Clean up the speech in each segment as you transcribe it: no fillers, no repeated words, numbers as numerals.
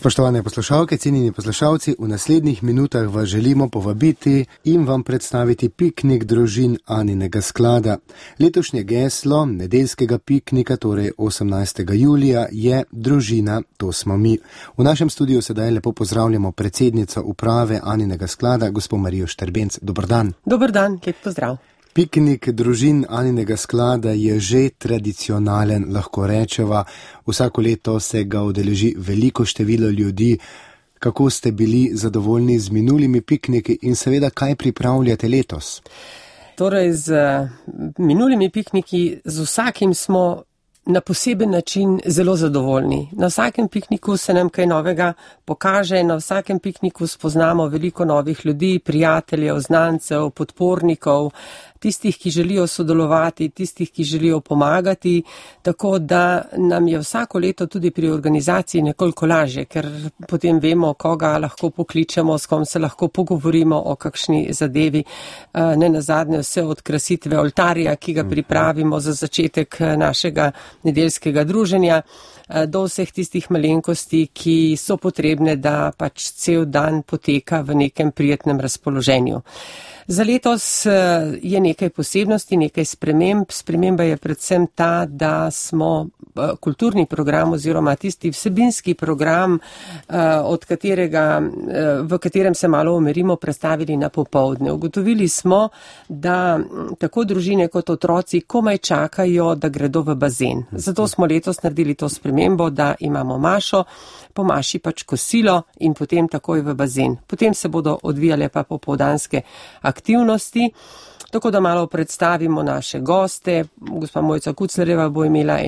Spoštovane poslušalke, cenjeni poslušalci, v naslednjih minutah vas želimo povabiti in vam predstaviti piknik družin Aninega sklada. Letošnje geslo nedeljskega piknika, torej 18. julija, je Družina, to smo mi. V našem studiu sedaj lepo pozdravljamo predsednico uprave Aninega sklada, gospo Marijo Štrbenc. Dober dan. Dober dan, lep pozdrav. Piknik družin Aninega sklada je že tradicionalen, lahko rečeva. Vsako leto se ga udeleži veliko število ljudi. Kako ste bili zadovoljni z minulimi pikniki in seveda kaj pripravljate letos? Torej, z minulimi pikniki, z vsakim smo na poseben način zelo zadovoljni. Na vsakem pikniku se nam kaj novega pokaže, na vsakem pikniku spoznamo veliko novih ljudi, prijateljev, znancev, podpornikov, tistih, ki želijo sodelovati, tistih, ki želijo pomagati, tako da nam je vsako leto tudi pri organizaciji nekoliko lažje, ker potem vemo, koga lahko pokličemo, s kom se lahko pogovorimo o kakšni zadevi. Ne nazadnje vse od krasitve oltarja, ki ga pripravimo za začetek našega nedeljskega druženja, do vseh tistih malenkosti, ki so potrebne, da pač cel dan poteka v nekem prijetnem razpoloženju. Za letos je nekaj posebnosti, nekaj sprememb. Sprememba je predvsem ta, da smo kulturni program oziroma tisti vsebinski program, v katerem se malo umirimo, predstavili na popoldne. Ugotovili smo, da tako družine kot otroci komaj čakajo, da gredo v bazen. Zato smo letos naredili to spremembo, da imamo mašo, po maši pač kosilo in potem takoj v bazen. Potem se bodo odvijale pa popoldanske aktivnosti, tako da malo predstavimo naše goste. Gospa Mojca Kuclerjeva bo imela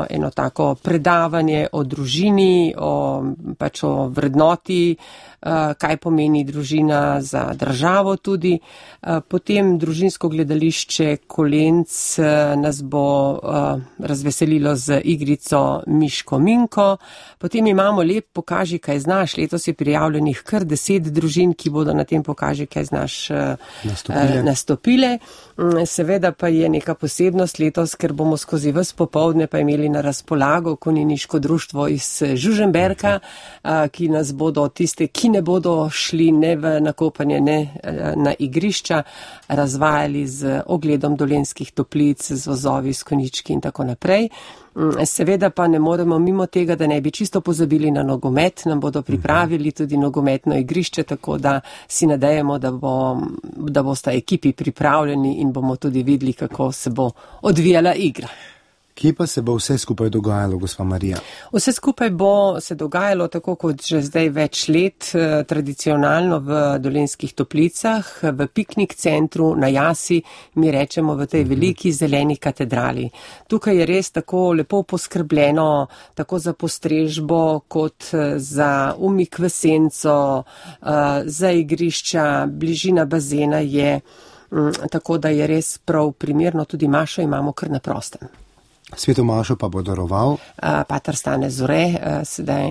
eno tako predavanje o družini, o vrednoti, kaj pomeni družina za državo tudi. Potem družinsko gledališče Kolenc nas bo razveselilo z igrico Miško Minko. Potem imamo lep Pokaži, kaj znaš. Letos je prijavljenih kar 10 družin, ki bodo na tem Pokaži, kaj znaš nastopile. Seveda pa je neka posebnost letos, ker bomo skozi ves popoldne pa imeli na razpolago konjeniško društvo iz Žužemberka, ki nas bodo tiste, ki ne bodo šli ne v nakopanje, ne na igrišča, razvajali z ogledom Dolenjskih toplic, z vozovi, s konjički in tako naprej. Seveda pa ne moremo mimo tega, da ne bi čisto pozabili na nogomet. Nam bodo pripravili tudi nogometno igrišče, tako da si nadejamo, da bosta ekipi pripravljeni in bomo tudi videli, kako se bo odvijala igra. Kje pa se bo vse skupaj dogajalo, gospa Marija? Vse skupaj bo se dogajalo tako kot že zdaj več let, tradicionalno v Dolenjskih toplicah, v piknik centru na Jasi, mi rečemo v tej veliki zeleni katedrali. Tukaj je res tako lepo poskrbljeno, tako za postrežbo kot za umik v senco, za igrišča, bližina bazena je, tako da je res prav primerno, tudi mašo imamo kar na prostem. Sveto mašo pa bo daroval pater Stane Zore,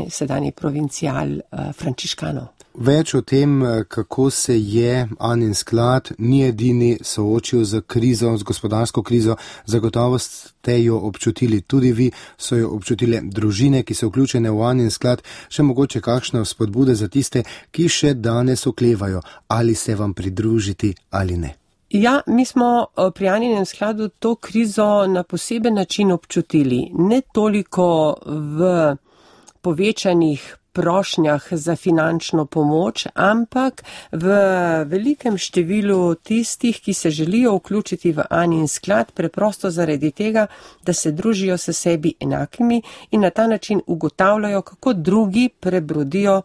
sedanji provincial frančiškanov. Več o tem, kako se je Anin sklad ni edini soočil z krizo, z gospodarsko krizo, zagotovo ste jo občutili tudi vi, so jo občutile družine, ki so vključene v Anin sklad, še mogoče kakšne vzpodbude za tiste, ki še danes oklevajo, ali se vam pridružiti ali ne. Ja, mi smo pri Aninem skladu to krizo na poseben način občutili. Ne toliko v povečanih prošnjah za finančno pomoč, ampak v velikem številu tistih, ki se želijo vključiti v Anin sklad, preprosto zaradi tega, da se družijo s sebi enakimi in na ta način ugotavljajo, kako drugi prebrodijo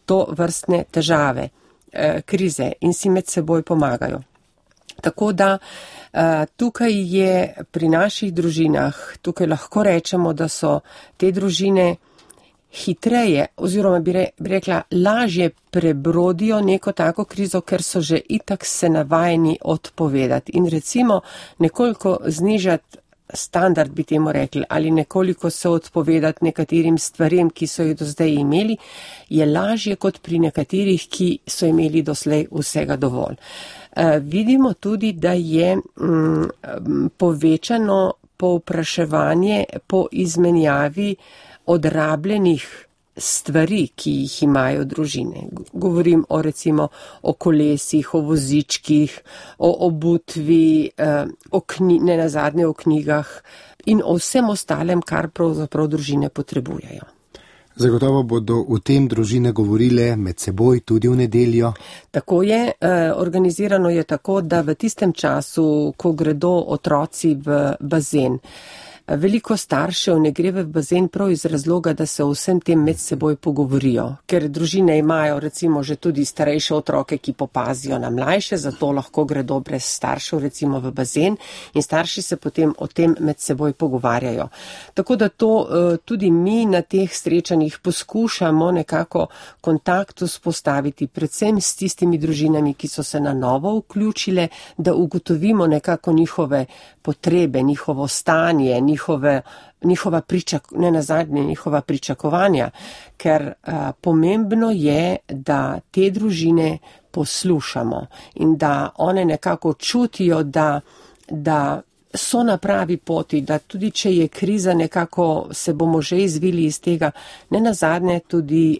to vrstne težave, krize in si med seboj pomagajo. Tako da tukaj je pri naših družinah, tukaj lahko rečemo, da so te družine hitreje oziroma bi rekla lažje prebrodijo neko tako krizo, ker so že itak se navajeni odpovedati in recimo nekoliko znižati standard, bi temu rekli, ali nekoliko se odpovedati nekaterim stvarem, ki so jih do zdaj imeli, je lažje kot pri nekaterih, ki so imeli doslej vsega dovolj. Vidimo tudi, da je povečano povpraševanje po izmenjavi odrabljenih stvari, ki jih imajo družine. Govorim recimo o kolesih, o vozičkih, o obutvi, ne nazadnje o knjigah in o vsem ostalem, kar pravzaprav družine potrebujejo. Zagotovo bodo v tem družine govorile med seboj tudi v nedeljo. Tako je, organizirano je tako, da v tistem času, ko gredo otroci v bazen, veliko staršev ne gre v bazen prav iz razloga, da se o vsem tem med seboj pogovorijo, ker družine imajo recimo že tudi starejše otroke, ki popazijo na mlajše, zato lahko gredo brez staršev recimo v bazen in starši se potem o tem med seboj pogovarjajo. Tako da to tudi mi na teh srečanjih poskušamo nekako kontakt vzpostaviti, predvsem s tistimi družinami, ki so se na novo vključile, da ugotovimo nekako njihove potrebe, njihovo stanje, njihova pričakovanja, ker pomembno je, da te družine poslušamo in da one nekako čutijo, da so na pravi poti, da tudi če je kriza, nekako se bomo že izvili iz tega. Ne nazadnje tudi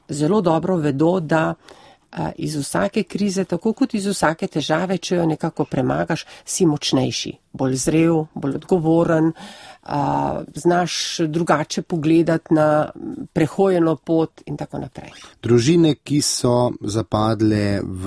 zelo dobro vedo, da iz vsake krize, tako kot iz vsake težave, če jo nekako premagaš, si močnejši, bolj zrel, bolj odgovoren, znaš drugače pogledati na prehojeno pot in tako naprej. Družine, ki so zapadle v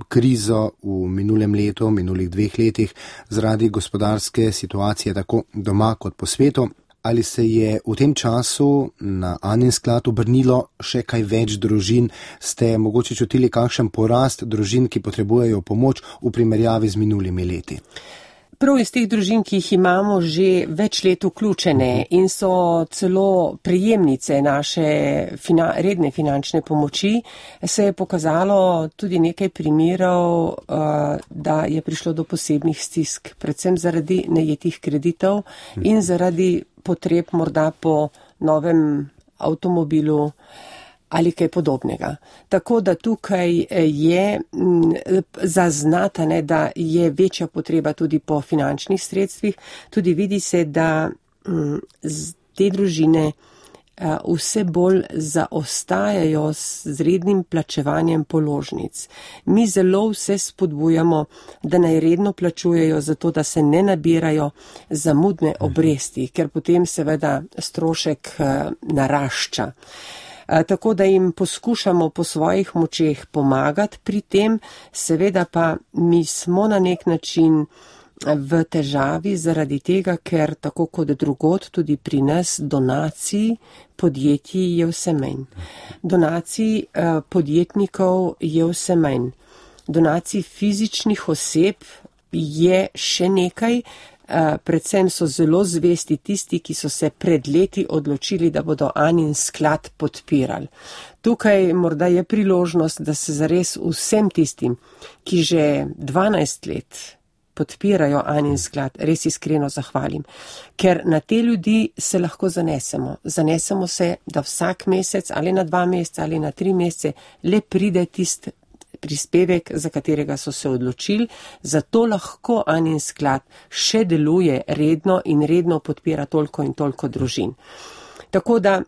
krizo v minulem letu, minulih 2 letih, zaradi gospodarske situacije tako doma kot po svetu, ali se je v tem času na Anin sklad obrnilo še kaj več družin? Ste mogoče čutili kakšen porast družin, ki potrebujejo pomoč v primerjavi z minulimi leti? Prav iz teh družin, ki jih imamo že več let vključene in so celo prejemnice naše redne finančne pomoči, se je pokazalo tudi nekaj primerov, da je prišlo do posebnih stisk, predvsem zaradi najetih kreditov in zaradi potreb morda po novem avtomobilu ali kaj podobnega. Tako da tukaj je zaznata, da je večja potreba tudi po finančnih sredstvih. Tudi vidi se, da te družine vse bolj zaostajajo z rednim plačevanjem položnic. Mi zelo vse spodbujamo, da naj redno plačujejo, zato da se ne nabirajo zamudne obresti, ker potem seveda strošek narašča. Tako da jim poskušamo po svojih močeh pomagati pri tem, seveda pa mi smo na nek način v težavi zaradi tega, ker tako kot drugod tudi pri nas donacij podjetij je vse manj. Donacij podjetnikov je vse manj. Donacij fizičnih oseb je še nekaj, predvsem so zelo zvesti tisti, ki so se pred leti odločili, da bodo Anin sklad podpirali. Tukaj morda je priložnost, da se zares vsem tistim, ki že 12 let podpirajo Anin sklad, res iskreno zahvalim. Ker na te ljudi se lahko zanesemo. Zanesemo se, da vsak mesec ali na 2 meseca ali na 3 mesece le pride tist prispevek, za katerega so se odločili, zato lahko Anin sklad še deluje redno in redno podpira toliko in toliko družin. Tako da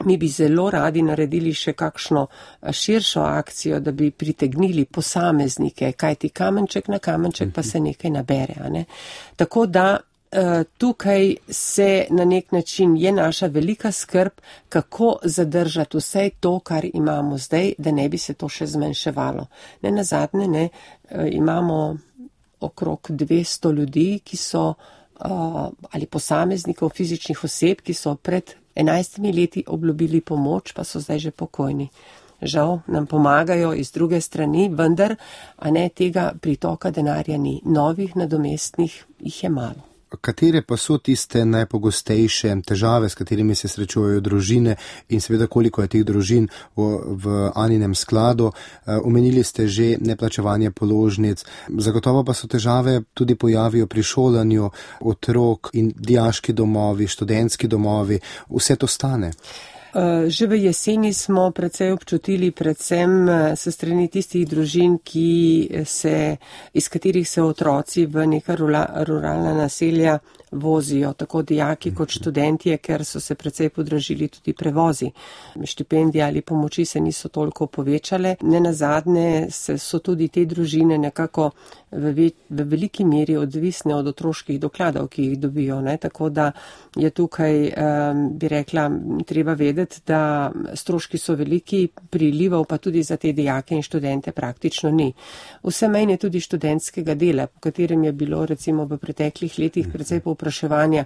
mi bi zelo radi naredili še kakšno širšo akcijo, da bi pritegnili posameznike, kajti kamenček na kamenček pa se nekaj nabere. Ne? Tako da tukaj se na nek način je naša velika skrb, kako zadržati vse to, kar imamo zdaj, da ne bi se to še zmanjševalo. Ne nazadnje, imamo okrog 200 ljudi, ki so, ali posameznikov, fizičnih oseb, ki so pred 11 leti obljubili pomoč, pa so zdaj že pokojni. Žal nam pomagajo iz druge strani, vendar, a ne tega pritoka denarja ni. Novih nadomestnih jih je malo. Katere pa so tiste najpogostejše težave, s katerimi se srečujejo družine in seveda koliko je teh družin v Aninem skladu? Omenili ste že neplačevanje položnic, zagotovo pa so težave tudi pojavijo pri šolanju otrok in dijaški domovi, študentski domovi, vse to stane. Že v jeseni smo precej občutili predvsem se strani tistih družin, iz katerih se otroci v neka ruralna naselja vozijo tako dijaki kot študentje, ker so se precej podražili tudi prevozi. Štipendije ali pomoči se niso toliko povečale. Nenazadnje so tudi te družine nekako v veliki meri odvisne od otroških dokladov, ki jih dobijo. Ne? Tako da je tukaj, bi rekla, treba vedeti, da stroški so veliki, prilivov pa tudi za te dijake in študente praktično ni. Vse manj je tudi študentskega dela, po katerem je bilo recimo v preteklih letih precej povpraševanja.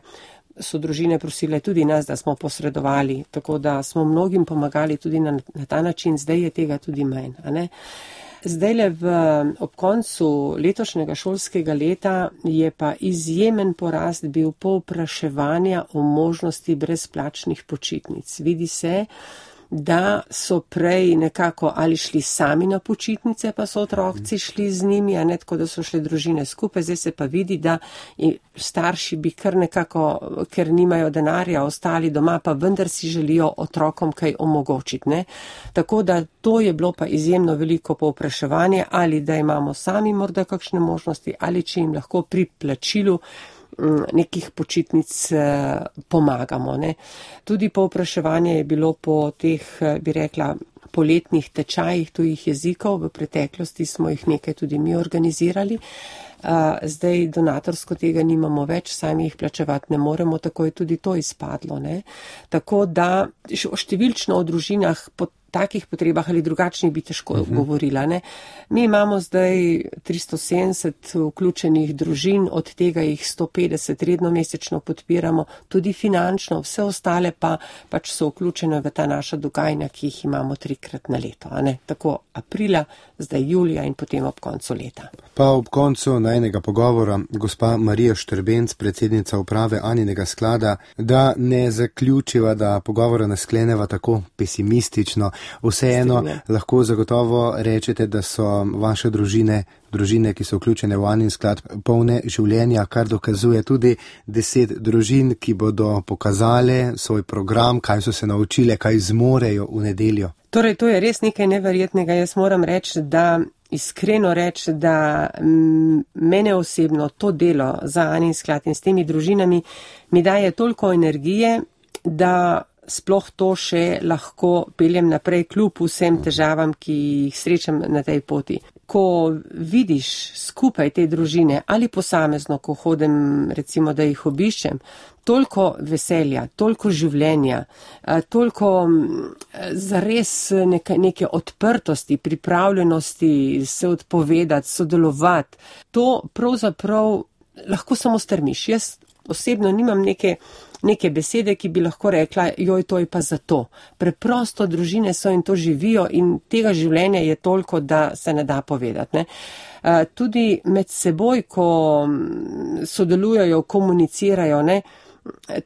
So družine prosile tudi nas, da smo posredovali, tako da smo mnogim pomagali tudi na ta način, zdaj je tega tudi manj. Zdajle ob koncu letošnjega šolskega leta je pa izjemen porast bil povpraševanja o možnosti brezplačnih počitnic. Vidi se, da so prej nekako ali šli sami na počitnice, pa so otroci šli z njimi, a ne tako, da so šli družine skupaj. Zdaj se pa vidi, da starši bi kar nekako, ker nimajo denarja, ostali doma, pa vendar si želijo otrokom kaj omogočiti. Ne? Tako da to je bilo pa izjemno veliko povpraševanje, ali da imamo sami morda kakšne možnosti, ali če jim lahko pri plačilu nekih počitnic pomagamo. Ne. Tudi povpraševanje je bilo po teh, bi rekla, poletnih tečajih tujih jezikov. V preteklosti smo jih nekaj tudi mi organizirali. Zdaj donatorsko tega nimamo več, sami jih plačevati ne moremo, tako je tudi to izpadlo. Ne. Tako da številčno o družinah po takih potrebah ali drugačnih bi težko govorila. Ne. Mi imamo zdaj 370 vključenih družin, od tega jih 150 redno mesečno podpiramo, tudi finančno, vse ostale pa pač so vključene v ta naša dogajanja, ki jih imamo 3-krat na leto. Ne. Tako aprila, zdaj julija in potem ob koncu leta. Pa ob koncu najnega pogovora gospa Marija Štrbenc, predsednica uprave Aninega sklada, da ne zaključiva, da pogovora ne skleneva tako pesimistično. Vseeno lahko zagotovo rečete, da so vaše družine, ki so vključene v Anin sklad, polne življenja, kar dokazuje tudi 10 družin, ki bodo pokazale svoj program, kaj so se naučile, kaj zmorejo v nedeljo. Torej, to je res nekaj neverjetnega. Jaz moram iskreno reči, da mene osebno to delo za Anin sklad in s temi družinami mi daje toliko energije, da sploh to še lahko peljem naprej kljub vsem težavam, ki jih srečam na tej poti. Ko vidiš skupaj te družine ali posamezno, ko hodim recimo, da jih obiščem, toliko veselja, toliko življenja, toliko zares neke odprtosti, pripravljenosti se odpovedati, sodelovati, to pravzaprav lahko samo strmiš. Jaz osebno nimam neke besede, ki bi lahko rekla, joj, to je pa zato. Preprosto družine so in to živijo in tega življenja je toliko, da se ne da povedati. Ne? Tudi med seboj, ko sodelujejo, komunicirajo, ne?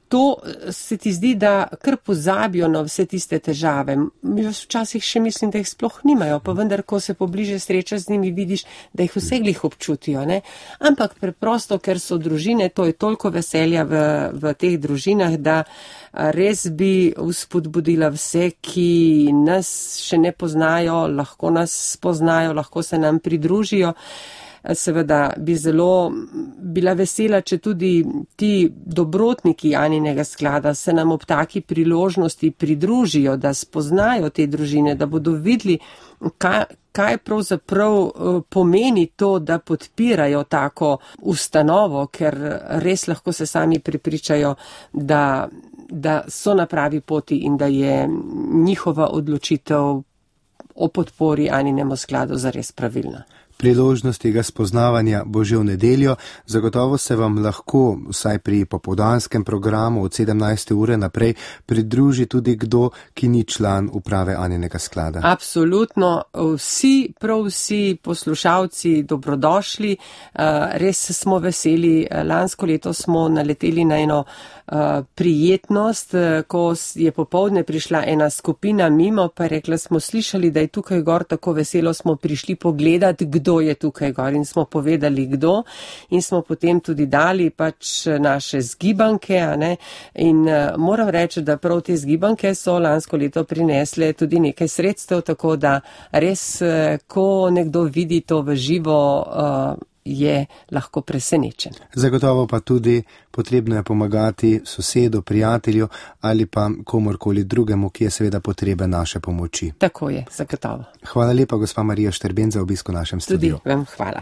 To se ti zdi, da kar pozabijo na vse tiste težave. Jaz včasih še mislim, da jih sploh nimajo, pa vendar, ko se pobliže srečaš z njimi, vidiš, da jih vse glih občutijo. Ne? Ampak preprosto, ker so družine, to je toliko veselja v teh družinah, da res bi vzpodbudila vse, ki nas še ne poznajo, lahko nas spoznajo, lahko se nam pridružijo. Seveda bi zelo bila vesela, če tudi ti dobrotniki Aninega sklada se nam ob taki priložnosti pridružijo, da spoznajo te družine, da bodo videli, kaj pravzaprav pomeni to, da podpirajo tako ustanovo, ker res lahko se sami prepričajo, da so na pravi poti in da je njihova odločitev o podpori Aninemu skladu zares pravilna. Priložnost tega spoznavanja bo že v nedeljo, zagotovo se vam lahko, vsaj pri popoldanskem programu od 17. ure naprej, pridruži tudi kdo, ki ni član uprave Aninega sklada. Absolutno, prav vsi poslušalci dobrodošli, res smo veseli. Lansko leto smo naleteli na eno prijetnost, ko je popoldne prišla ena skupina mimo, pa rekla, smo slišali, da je tukaj gor tako veselo, smo prišli pogledati, kdo je tukaj gor, in smo povedali, kdo, in smo potem tudi dali pač naše zgibanke, a ne? In moram reči, da prav te zgibanke so lansko leto prinesle tudi nekaj sredstev, tako da res, ko nekdo vidi to v živo, je lahko presenečen. Zagotovo pa tudi potrebno je pomagati sosedu, prijatelju ali pa komorkoli drugemu, ki je seveda potreben naše pomoči. Tako je, zagotovo. Hvala lepa, gospa Marija Šterben, za obisk v našem studiu. Tudi vam hvala.